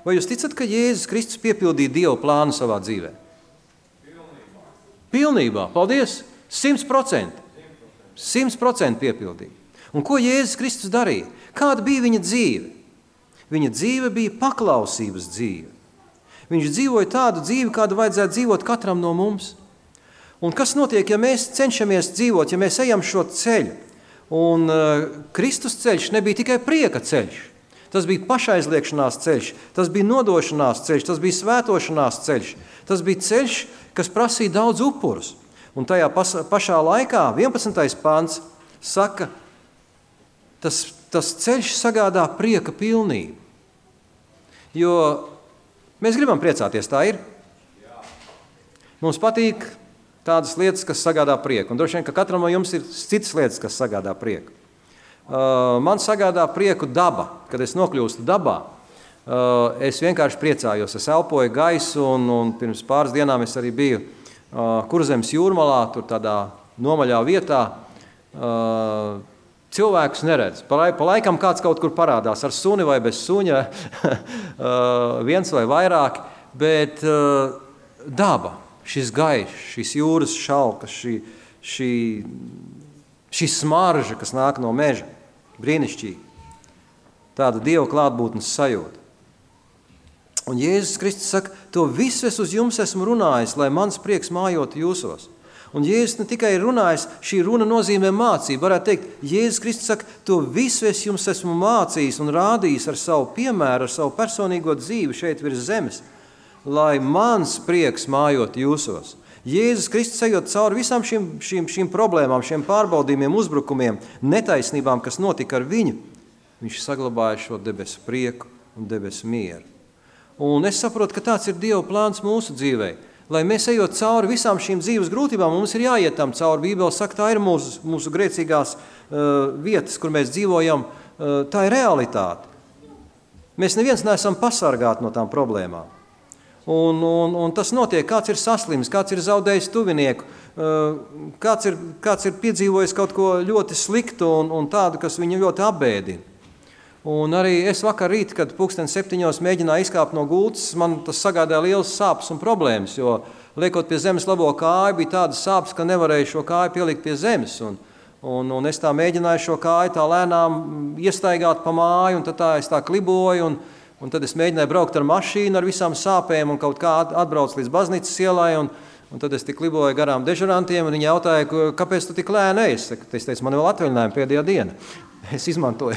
Speaker 1: Vai jūs ticat, ka Jēzus Kristus piepildīja Dieva plānu savā dzīvē? Pilnībā, paldies, 100%. 100% piepildīja. Un ko Jēzus Kristus darīja? Kāda bija viņa dzīve? Viņa dzīve bija paklausības dzīve. Viņš dzīvoja tādu dzīvi, kādu vajadzētu dzīvot katram no mums. Un kas notiek, ja mēs cenšamies dzīvot, ja mēs ejam šo ceļu? Un Kristus ceļš nebija tikai prieka ceļš. Tas bija pašaizliekšanās ceļš, tas bija nodošanās ceļš, tas bija svētošanās ceļš. Tas bija ceļš, kas prasīja daudz upurus. Un tajā pašā laikā 11. pants saka, tas ceļš sagādā prieka pilnību. Jo mēs gribam priecāties, tā ir? Mums patīk tādas lietas, kas sagādā prieku. Un droši vien, ka katram no jums ir citas lietas, kas sagādā prieku. Man sagādā prieku daba. Kad es nokļūstu dabā, es vienkārši priecājos. Es elpoju gaisu un pirms pāris dienām es arī biju Kurzemes jūrmalā, tur tādā nomaļā vietā. Cilvēkus neredz. Pa laikam kāds kaut kur parādās ar suni vai bez suņa, viens vai vairāk, bet daba, šis gaišs, šis jūras šalkas, šī smarža, kas nāk no meža, brīnišķīgi. Tāda Dieva klātbūtnes sajūta. Un Jēzus Kristus saka, to visu es uz jums esmu runājis, lai mans prieks mājotu jūsos. Un Jēzus ne tikai ir runājis, šī runa nozīmē mācību. Varētu teikt, Jēzus Kristus saka, to visu es jums esmu mācījis un rādījis ar savu piemēru, ar savu personīgo dzīvi šeit virs zemes, lai mans prieks mājotu jūsos. Jēzus Kristus ejot cauri visām šīm problēmām, šiem pārbaudījumiem, uzbrukumiem, netaisnībām, kas notika ar viņu, viņš saglabāja šo debesu prieku un debesu mieru. Un es saprotu, ka tāds ir Dieva plāns mūsu dzīvei. Lai mēs ejot cauri visām šīm dzīves grūtībām, mums ir jāiet tam cauri. Bībele saka, tā ir mūsu grēcīgās vietas, kur mēs dzīvojam, tā ir realitāte. Mēs neviens neesam pasargāti no tām problēmām. Un tas notiek, kāds ir saslims, kāds ir zaudējis tuvinieku, kāds ir piedzīvojis kaut ko ļoti sliktu un tādu, kas viņu ļoti apbēdina. Un arī es vakar rīt, kad 7:00 mēģināju izkāpt no gultas, man tas sagādāja lielas sāpes un problēmas, jo liekot pie zemes labo kāju, bija tādas sāpes, ka nevarēju šo kāju pielikt pie zemes. Un es tā mēģināju šo kāju tā lēnām iestaigāt pa māju, un tad es tā kliboju, un tad es mēģināju braukt ar mašīnu ar visām sāpēm un kaut kā atbrauc līdz baznīcas ielai, un tad es tik kliboju garām dežurantiem, un viņi jautāja, kāpēc tu tik lēni ej? Es teicu, man vēl atvaļinājumi pēdējā diena. Es izmantoju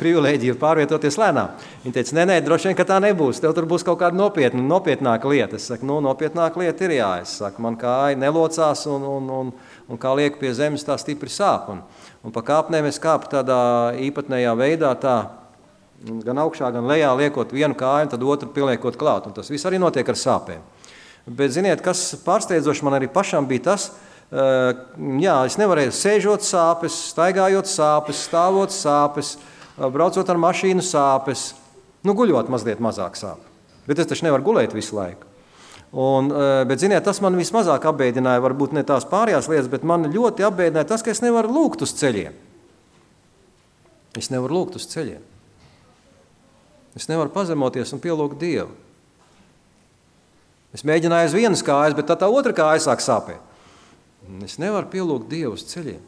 Speaker 1: privilēģiju pārvietoties lēnām. Viņi teica, nē, droši vien, ka tā nebūs. Tev tur būs kaut kāda nopietnāka lieta. Es saku, nopietnāka lieta ir jā. Es saku, man kāja nelocās un kā liek pie zemes tā stipri sāp. Un pa kāpnēm es kāpu tādā īpatnējā veidā tā, gan augšā, gan lejā liekot vienu kāju, un tad otru pieliekot klāt. Un tas viss arī notiek ar sāpēm. Bet ziniet, kas pārsteidzoši man arī pašam bija tas, es nevarēju sēžot sāpes, staigājot sāpes, stāvot sāpes, braucot ar mašīnu sāpes, guļot mazliet mazāk sāp. Bet es taču nevaru gulēt visu laiku. Bet, ziniet, tas man vismazāk apbēdināja, varbūt ne tās pārējās lietas, bet man ļoti apbēdināja tas, ka es nevaru lūgt uz ceļiem. Es nevaru lūgt uz ceļiem. Es nevaru pazemoties un pielūgt Dievu. Es mēģināju uz vienas kājas, bet tā otra kāja sāk sāpēt. Es nevaru pielūgt Dievu uz ceļiem.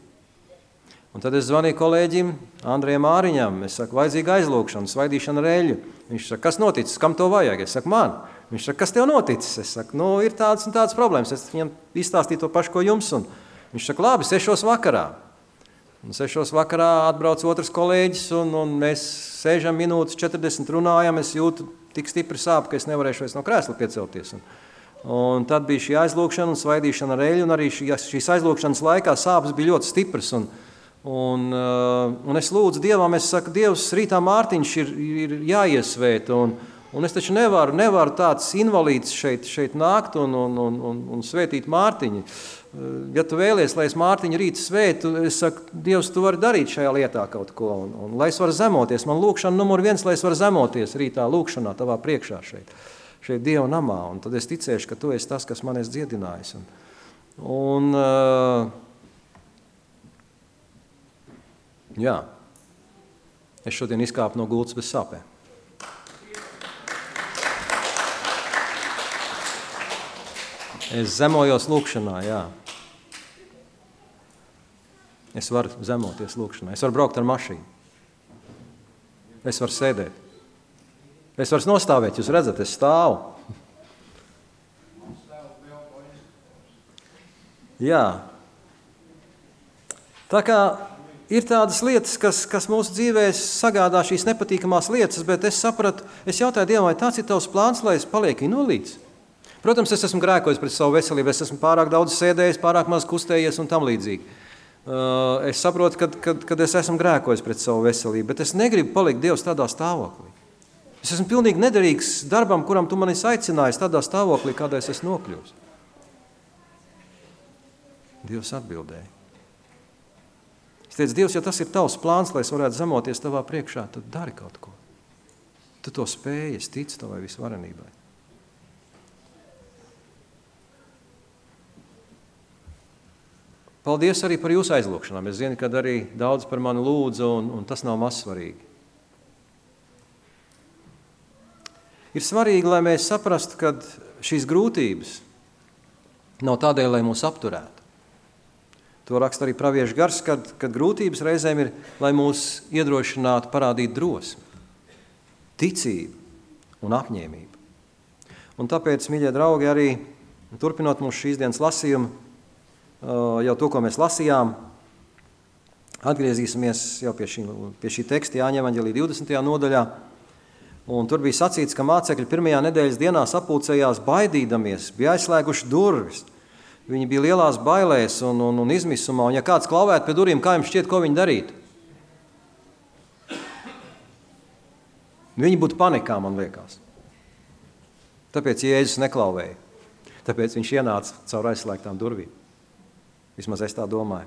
Speaker 1: Un tad es zvanīju kolēģim Andrejam Māriņam. Es saku, vajadzīga aizlūgšana, svaidīšana ar eļļu. Viņš saka, kas noticis, kam to vajag? Es saku, man. Viņš saka, kas tev noticis? Es saku, ir tādas un tādas problēmas. Es viņam izstāstīju to pašu, ko jums. Un viņš saka, labi, 6:00 vakarā. Un 6:00 vakarā atbrauc otrs kolēģis, un mēs 6 minūtes 40 runājam. Es jūtu tik stipri sāp, ka es nevarēšu vairs no krēsla piecelties. Un tad bija šī aizlūgšana un svaidīšana ar eļļu, un arī šīs aizlūgšanas laikā sāpes bija ļoti stipras. Un es lūdzu Dievam, es saku, Dievs, rītā Mārtiņš ir jāiesvēt, un es taču nevaru tāds invalīds šeit nākt un svētīt Mārtiņu. ja tu vēlies, lai es Mārtiņu rīt svētu, es saku, Dievs, tu vari darīt šajā lietā kaut ko, un lai es varu zemoties. Man lūkšana numur 1, lai es varu zemoties rītā lūkšanā tavā priekšā šeit Dieva namā, un tad es ticēšu, ka tu esi tas, kas man esi dziedinājis. Jā, es šodien izkāpu no gultas bez sāpēm. Es zemojos lūkšanā, jā. Es varu zemoties lūkšanā. Es varu braukt ar mašīnu. Es varu sēdēt. Es varu nostāvēt, jūs redzat, es stāvu. Jā. Tā kā ir tādas lietas, kas mūsu dzīvēs sagādā šīs nepatīkamās lietas, bet es sapratu, es jautāju Dievam, vai tāds ir tavs plāns, lai es palieku invalīds? Protams, es esmu grēkojis pret savu veselību, es esmu pārāk daudz sēdējis, pārāk maz kustējies un tam līdzīgi. Es saprotu, kad es esmu grēkojis pret savu veselību, bet es negribu palikt Dievs tādā stāvoklī. Es esmu pilnīgi nederīgs darbam, kuram tu mani aicinājis tādā stāvoklī, kādā es esmu nokļuvis. Dievs atbildēja. Es teicu, Dievs, ja tas ir tavs plāns, lai es varētu zemoties tavā priekšā, tad dari kaut ko. Tu to spēji, es ticu tavai visvarenībai. Paldies arī par jūsu aizlūkšanām. Es zinu, ka arī daudz par mani lūdzu, un tas nav maz svarīgi. Ir svarīgi, lai mēs saprastu, ka šīs grūtības nav tādēļ, lai mūs apturētu. To raksta arī praviešu gars, kad grūtības reizēm ir, lai mūs iedrošinātu parādīt drosmi, ticību un apņēmību. Un tāpēc, mīļie draugi, arī turpinot mūsu šīs dienas lasījumu, jau to, ko mēs lasījām, atgriezīsimies jau pie šī teksta Jāņa evaņģēlija 20. nodaļā. Un tur bija sacīts, ka mācekļi pirmajā nedēļas dienā sapulcējās baidīdamies, bija aizslēguši durvis. Viņi bija lielās bailēs un izmisumā, un ja kāds klauvētu pie durvīm, kā jums šķiet, ko viņi darītu? Viņi būtu panikā, man liekas. Tāpēc Jēzus neklauvēja. Tāpēc viņš ienāca caur aizslēgtām durvīm. Vismaz es tā domāju.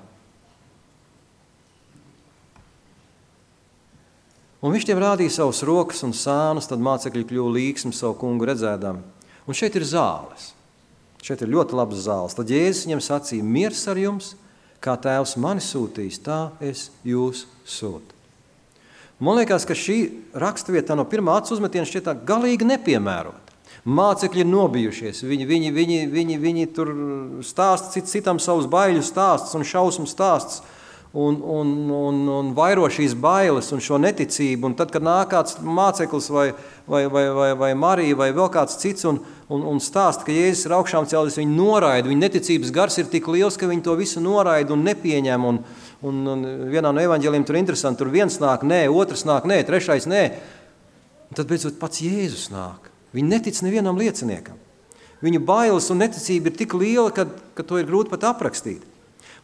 Speaker 1: Un viņš tiem rādīja savus rokas un sānus, tad mācekļi kļuva līksmi savu kungu redzēdami. Un šeit ir zāles. Šeit ir ļoti labas zāles. Tad Jēzus viņam sacīja, miers ar jums, kā Tēvs mani sūtīs, tā es jūs sūtu. Man liekas, ka šī raksturvieta no pirmā acu uzmetiena šķiet tā galīgi nepiemērota. Mācekļi ir nobijušies, viņi tur stāsta citam savus baiļu stāstus un šausmu stāstus un vairo šīs bailes un šo neticību. Un tad, kad nāk kāds māceklis vai Marija vai vēl kāds cits un stāsta, ka Jēzus ir augšām cēlies, viņi noraida, viņa neticības gars ir tik liels, ka viņi to visu noraida un nepieņem. Un vienā no evaņģēlijiem tur interesanti, tur viens nāk, nē, otrs nāk, nē, trešais nē. Un tad beidzot pats Jēzus nāk. Viņi netic nevienam lieciniekam. Viņu bailes un neticība ir tik liela, ka to ir grūti pat aprakstīt.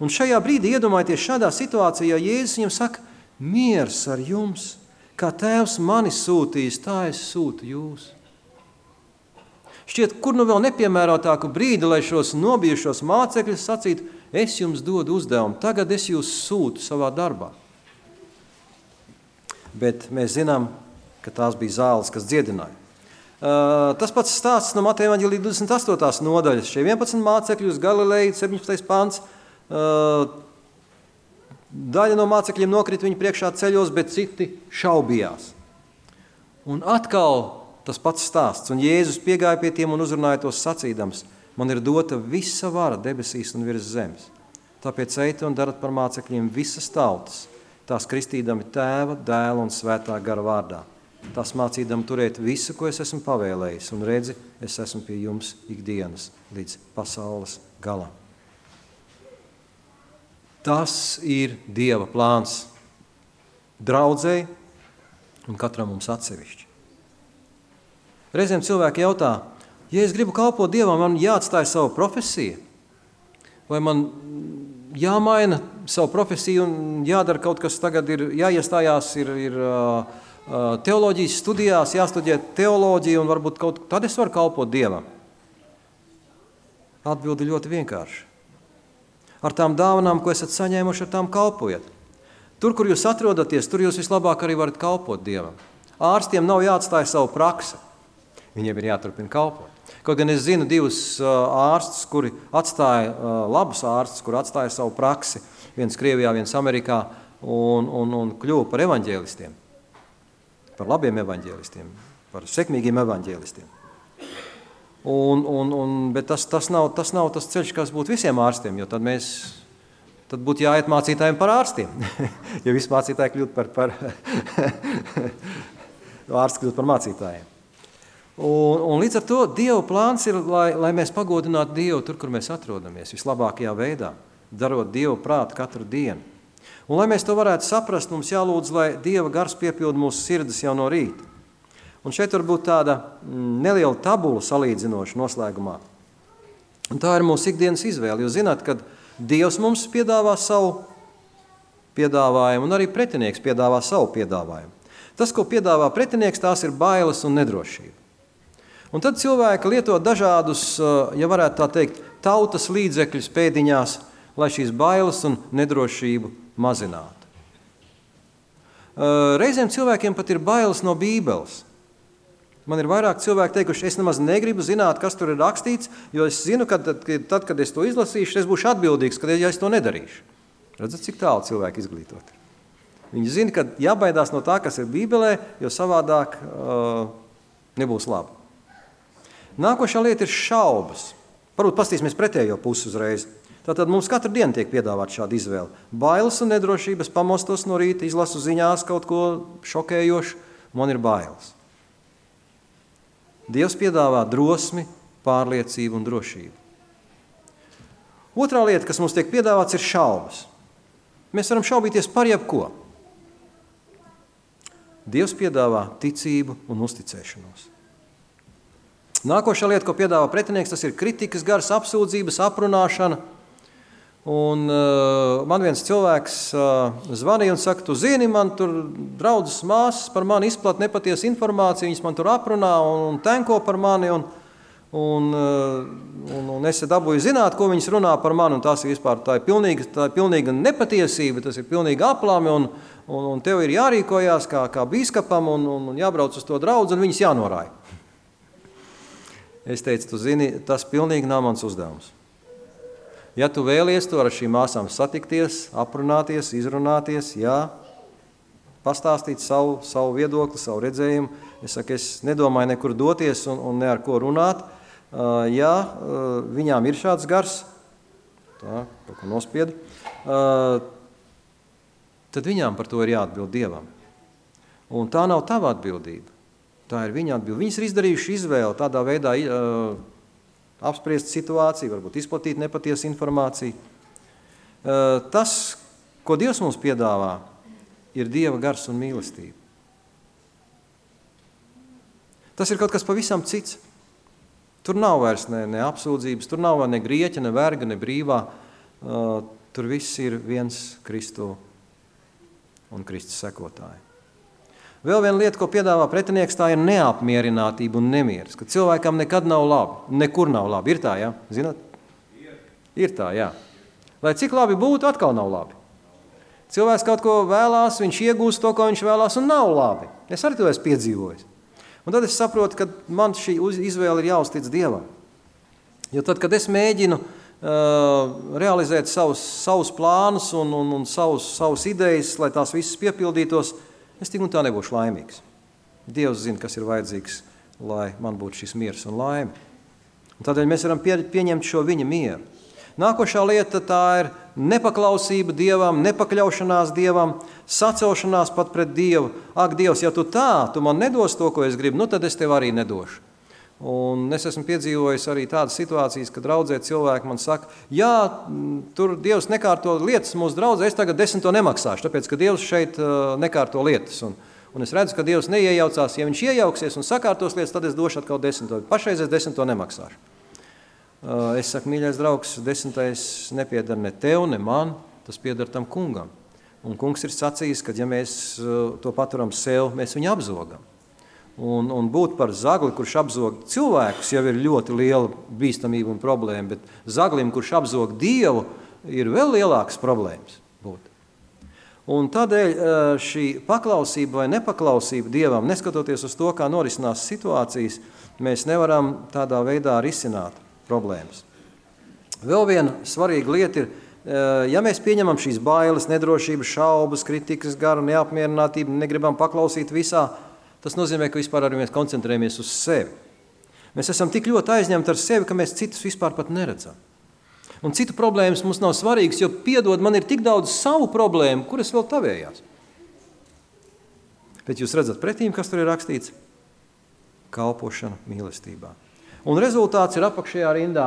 Speaker 1: Un šajā brīdī iedomājieties šādā situācijā, Jēzus viņam saka, miers ar jums, kā Tēvs mani sūtīs, tā es sūtu jūs. Šķiet, kur nu vēl nepiemērotāku brīdi, lai šos nobijušos mācekļus sacītu, es jums dodu uzdevumu, tagad es jūs sūtu savā darbā. Bet mēs zinām, ka tās bija zāles, kas dziedināja. Tas pats stāsts no Mateja evaņģēlija 28. nodaļas. Šie 11 mācekļi uz Galileju, 17. pants. Daļa no mācekļiem nokrita viņu priekšā ceļos, bet citi šaubījās. Un atkal tas pats stāsts. Un Jēzus piegāja pie tiem un uzrunāja tos sacīdams, man ir dota visa vara debesīs un virs zemes. Tāpēc ejiet un darat par mācekļiem visas tautas, tās kristīdami Tēva, Dēla un Svētā gara vārdā. Tās mācīdam turēt visu, ko es esmu pavēlējis, un redzi, es esmu pie jums ikdienas līdz pasaules galam. Tas ir Dieva plāns draudzei un katram mums atsevišķi. Reizēm cilvēki jautā, ja es gribu kalpot Dievam, man jāatstāj savu profesiju, vai man jāmaina savu profesiju un jādara kaut kas tagad, ir jāiestājās, ir teoloģijas studijās, jāstudē teoloģiju un varbūt tad es varu kalpot Dievam. Atbildi ļoti vienkārši. Ar tām dāvanām, ko esat saņēmuši, ar tām kalpojat. Tur, kur jūs atrodaties, tur jūs vislabāk arī varat kalpot Dievam. Ārstiem nav jāatstāj savu praksi. Viņiem ir jāturpina kalpot. Kaut gan es zinu divus ārstus, kuri atstāja, labus ārstus, kuri atstāja savu praksi. Viens Krievijā, viens Amerikā un kļuva par evaņģēlistiem. Par labiem evaņģēlistiem, par sekmīgiem evaņģēlistiem. Bet tas nav tas ceļš, kas būtu visiem ārstiem, jo tad būtu jāiet mācītājiem par ārstiem. Ja visi mācītāji kļūt par ārsti kļūt par mācītājiem. Un līdz ar to Dieva plāns ir, lai mēs pagodinātu Dievu tur, kur mēs atrodamies, vislabākajā veidā, darot Dievu prātu katru dienu. Un, lai mēs to varētu saprast, mums jālūdz, lai Dieva gars piepilda mūsu sirdis jau no rīta. Un šeit var būt tāda neliela tabula salīdzinoša noslēgumā. Un tā ir mūsu ikdienas izvēle, jo zināt, kad Dievs mums piedāvā savu piedāvājumu, un arī pretinieks piedāvā savu piedāvājumu. Tas, ko piedāvā pretinieks, tās ir bailes un nedrošība. Un tad cilvēki lieto dažādus, ja varētu tā teikt, tautas līdzekļus pēdiņās, lai šīs bailes un nedrošību mazinātu. Reizēm cilvēkiem pat ir bailes no Bībeles. Man ir vairāk cilvēki teikuši, es nemaz negribu zināt, kas tur ir rakstīts, jo es zinu, ka tad, kad es to izlasīšu, es būšu atbildīgs, ja es to nedarīšu. Redzat, cik tālu cilvēki izglītoti. Viņi zina, ka jābaidās no tā, kas ir Bībelē, jo savādāk nebūs labi. Nākošā lieta ir šaubas. Varbūt pastīsimies pretējo pusi uzreiz. Tātad mums katru dienu tiek piedāvāt šāda izvēle. Bailes un nedrošības, pamostos no rīta, izlasu ziņās kaut ko šokējošu, man ir bailes. Dievs piedāvā drosmi, pārliecību un drošību. Otrā lieta, kas mums tiek piedāvāts, ir šaubas. Mēs varam šaubīties par jebko. Dievs piedāvā ticību un uzticēšanos. Nākošā lieta, ko piedāvā pretinieks, tas ir kritikas gars, apsūdzības, aprunāšana. Un man viens cilvēks zvanīja un saka, tu zini, man tur draudzes māsas par mani izplat nepatiesu informāciju, viņas man tur aprunā un tenko par mani, un es dabūju zināt, ko viņas runā par mani, un tas ir vispār, tā ir pilnīga nepatiesība, tas ir pilnīga aplami, un tev ir jārīkojās kā bīskapam, un jābrauc uz to draudzi, un viņas jānorāja. Es teicu, tu zini, tas pilnīgi nav mans uzdevums. Ja tu vēlies to ar šīm māsām satikties, aprunāties, izrunāties, pastāstīt savu viedokli, savu redzējumu, es saku, es nedomāju nekur doties un ne ar ko runāt. Ja viņām ir šāds gars, tā, kaut ko nospiedu, tad viņām par to ir jāatbild Dievam. Un tā nav tava atbildība. Tā ir viņa atbilde. Viņas ir izdarījuši izvēli tādā veidā apspriest situāciju, varbūt izplatīt nepatiesu informāciju. Tas, ko Dievs mums piedāvā, ir Dieva gars un mīlestība. Tas ir kaut kas pavisam cits. Tur nav vairs ne apsūdzības, tur nav ne grieķa, ne verga, ne brīvā. Tur viss ir viens Kristu un Kristus sekotāji. Vēl viena lieta, ko piedāvā pretinieks, tā ir neapmierinātība un nemieris, ka cilvēkam nekad nav labi, nekur nav labi. Ir tā, jā? Zināt? Ir tā, jā. Lai cik labi būtu, atkal nav labi. Cilvēks kaut ko vēlās, viņš iegūst to, ko viņš vēlās, un nav labi. Es arī to esmu piedzīvojis. Un tad es saprotu, ka man šī izvēle ir jāuztic Dievam. Jo tad, kad es mēģinu realizēt savus plānus un savus idejas, lai tās visas piepildītos, es tik un tā nebūšu laimīgs. Dievs zina, kas ir vajadzīgs, lai man būtu šis miers un laime. Un tādēļ mēs varam pieņemt šo viņa mieru. Nākošā lieta tā ir nepaklausība Dievam, nepakļaušanās Dievam, sacelšanās pat pret Dievu. Ak, Dievs, ja tu man nedos to, ko es gribu, nu tad es tev arī nedošu. Un es esmu piedzīvojis arī tādas situācijas, kad draudzē cilvēki man saka, jā, tur Dievs nekārto lietas mūsu draudzē, es tagad 10 nemaksāšu, tāpēc, ka Dievs šeit nekārto lietas. Un es redzu, ka Dievs neiejaucās, ja viņš iejauksies un sakārtos lietas, tad es došu atkal 10. Pašreiz es 10 nemaksāšu. Es saku, mīļais draugs, 10. nepiedar ne tev, ne man, tas piedar tam kungam. Un kungs ir sacījis, ka ja mēs to paturam sev, mēs viņu apzogam. Un būt par zagli, kurš apzog cilvēkus, jau ir ļoti liela bīstamība un problēma, bet zaglim, kurš apzog Dievu, ir vēl lielākas problēmas būt. Un tādēļ šī paklausība vai nepaklausība Dievam, neskatoties uz to, kā norisinās situācijas, mēs nevaram tādā veidā risināt problēmas. Vēl viena svarīga lieta ir, ja mēs pieņemam šīs bailes, nedrošības, šaubas, kritikas, garu, neapmierinātību, negribam paklausīt visā, tas nozīmē, ka vispār arī mēs koncentrējamies uz sevi. Mēs esam tik ļoti aizņemti ar sevi, ka mēs citus vispār pat neredzam. Un citu problēmas mums nav svarīgas, jo piedod, man ir tik daudz savu problēmu, kuras vēl tavējās. Bet jūs redzat pretīm, kas tur ir rakstīts? Kalpošana mīlestībā. Un rezultāts ir apakšējā rindā.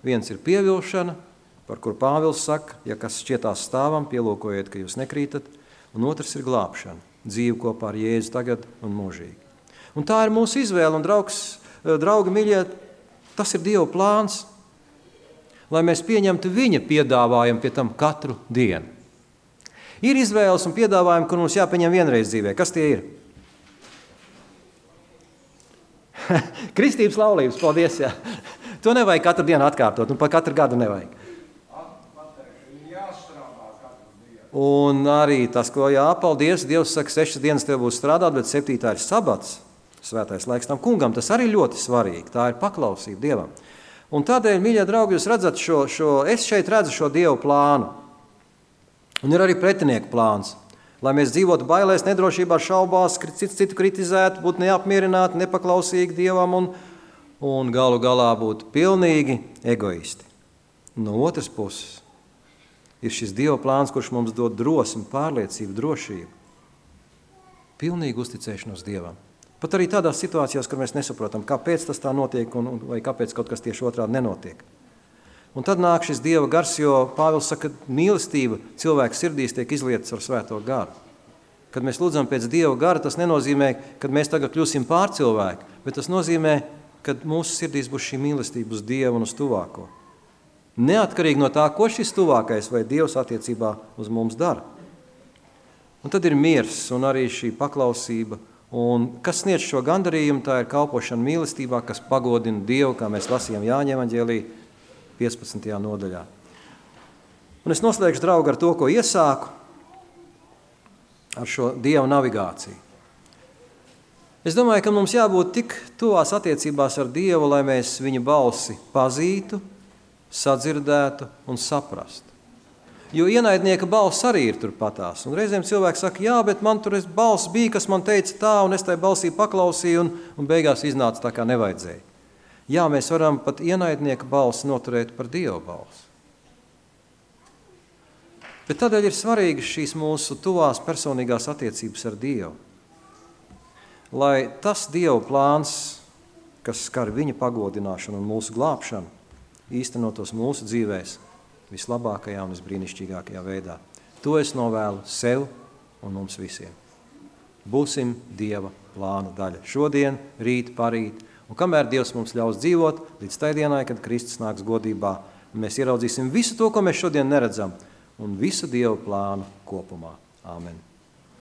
Speaker 1: Viens ir pievilšana, par kur Pāvils saka, ja kas šķietās stāvam, pielūkojiet, ka jūs nekrītat. Un otrs ir glābšana, dzīve kopā ar Jēzu tagad un mūžīgi. Un tā ir mūsu izvēle, un draugi mīļie, tas ir Dieva plāns, lai mēs pieņemtu viņa piedāvājumu pie tam katru dienu. Ir izvēles un piedāvājumi, kur mums jāpieņem vienreiz dzīvē. Kas tie ir? Kristības laulības, paldies, jā. To nevajag katru dienu atkārtot, un pa katru gadu nevajag. Un arī tas, ko paldies, Dievs saka, 6 dienas tev būs strādāt, bet 7. ir sabats, svētais laiks tam kungam. Tas arī ļoti svarīgi, tā ir paklausība Dievam. Un tādēļ, mīļie draugi, jūs redzat es šeit redzu šo Dievu plānu. Un ir arī pretinieku plāns, lai mēs dzīvotu bailēs, nedrošībā, šaubās, citu kritizētu, būtu neapmierināti, nepaklausīgi Dievam un galu galā būtu pilnīgi egoisti. No otras puses ir šis Dieva plāns, kurš mums dod drosmi, pārliecību, drošību, pilnīgu uzticēšanos Dievam. Pat arī tādās situācijās, kur mēs nesaprotam, kāpēc tas tā notiek vai kāpēc kaut kas tieši otrādi nenotiek. Un tad nāk šis Dieva gars, jo Pāvils saka, ka mīlestība cilvēka sirdīs tiek izlietas ar svēto garu. Kad mēs lūdzam pēc Dieva gara, tas nenozīmē, ka mēs tagad kļūsim pārcilvēki, bet tas nozīmē, ka mūsu sirdīs būs šī mīlestība uz Dievu un uz tuvāko. Neatkarīgi no tā, ko šis tuvākais vai Dievs attiecībā uz mums dara. Un tad ir miers un arī šī paklausība. Un kas sniedz šo gandarījumu, tā ir kalpošana mīlestībā, kas pagodina Dievu, kā mēs lasījām Jāņa evaņģēlī 15. nodaļā. Un es noslēgšu, draugi, ar to, ko iesāku, ar šo Dieva navigāciju. Es domāju, ka mums jābūt tik tuvās attiecībās ar Dievu, lai mēs viņa balsi pazītu, sadzirdētu un saprastu. Jo ienaidnieka balss arī ir turpatās. Un reizēm cilvēks saka, jā, bet man tur balss bija, kas man teica tā, un es tai balsī paklausīju, un beigās iznāca tā, kā nevajadzēja. Jā, mēs varam pat ienaidnieka balsi noturēt par Dieva balsi. Bet tādēļ ir svarīgi šīs mūsu tuvās personīgās attiecības ar Dievu. Lai tas Dieva plāns, kas skar viņa pagodināšanu un mūsu glābšanu, īstenotos mūsu dzīvēs vislabākajā un visbrīnišķīgākajā veidā. To es novēlu sev un mums visiem. Būsim Dieva plāna daļa. Šodien, rīt, parīt. Un kamēr Dievs mums ļaus dzīvot, līdz tai dienai, kad Kristus nāks godībā, mēs ieraudzīsim visu to, ko mēs šodien neredzam, un visu Dieva plānu kopumā. Āmen.